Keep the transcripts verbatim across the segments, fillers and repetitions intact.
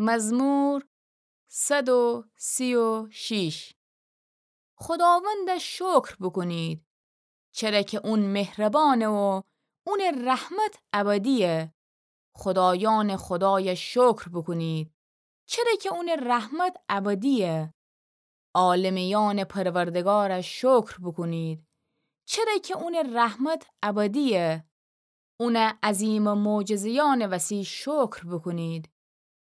مزمور صد و سی و شش. خداوند شکر بوکونید، چره کی اون مهربانه و اون رحمت ابدیه. خدایان خدای شکر بوکونید، چره کی اون رحمت ابدیه. عالمیان پروردگار شکر بوکونید، چره کی اون رحمت ابدیه. اون عظیم معجزه‌یان وسی شکر بوکونید،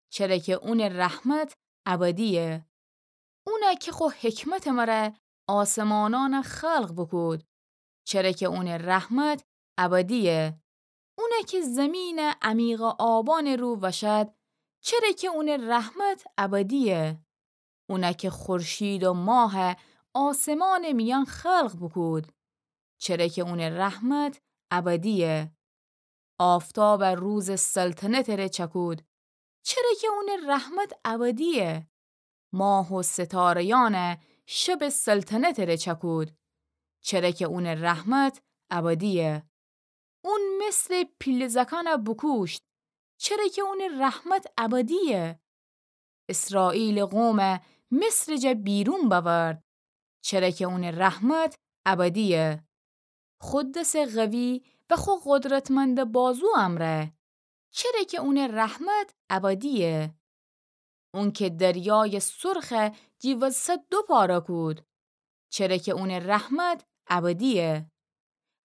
چره کی اون رحمت ابدیه. اون کی خو حکمت مره آسمانان خلق بوکود، چره کی اون رحمت ابدیه. اون کی زمین عمیق آبان رو وشد، چره کی اون رحمت ابدیه. اون کی خورشید و ماه آسمان میان خلق بوکود، چره کی اون رحمت ابدیه. آفتاب روز سلطنت ره چکود، چره کی اون رحمت ابدیه. ماه و ستاره‌یان شب سلطنت ره چکود، چره کی اون رحمت ابدیه. اون مثل پیله زکان بوکوشت، چره کی اون رحمت ابدیه. اسرائیل قوم مصر جا بیرون بأورد، چره کی اون رحمت ابدیه. خو دس قوی و خو قدرتمند بازو امره، چره کی اون رحمت ابدیه. اون کی دریای سرخ جی وسط دو پاره کود، چره کی اون رحمت ابدیه.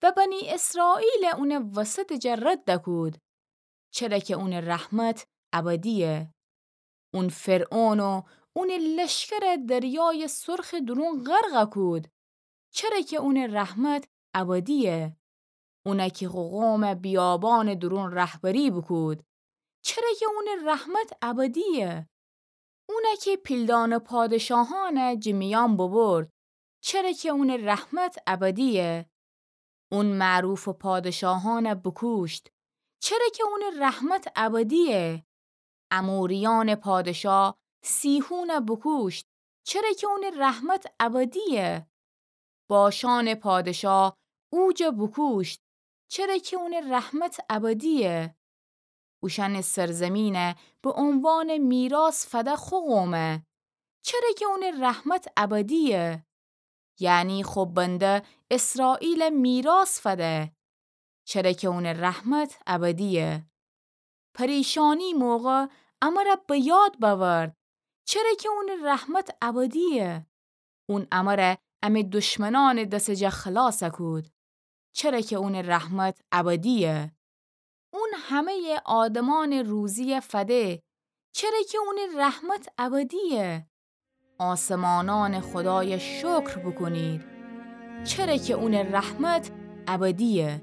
و بنی اسرائیل اون وسط جا رد کود، چره کی اون رحمت ابدیه. اون فرعون و اون لشکر دریای سرخ درون غرق کود، چره کی اون رحمت ابدیه. اون کی خو قوم بیابان درون رهبری بوکود، چره کی اون رحمت ابدیه. اون کی پیلدان پادشاهان جی میان ببرد، چره کی اون رحمت ابدیه. اون معروف پادشاهان بوکوشت، چره کی اون رحمت ابدیه. اموریان پادشاه سیحون بوکوشت، چره کی اون رحمت ابدیه. باشان پادشاه عوج بوکوشت، چره کی اون رحمت ابدیه. اوشأن سرزمین به عنوان میراث فده خو قومه، چره کی اون رحمت ابدیه. یعنی خو بنده اسرائیل میراث فده، چره کی اون رحمت ابدیه. پریشانی موقع امره به یاد بأورد، چره کی اون رحمت ابدیه. اون امره امه دشمنان دس جا خلاص کود، چره کی اون رحمت ابدیه. اون همه آدمان روزی فده، چره کی اون رحمت ابدیه. آسمانان خدای شکر بوکونید، چره کی اون رحمت ابدیه.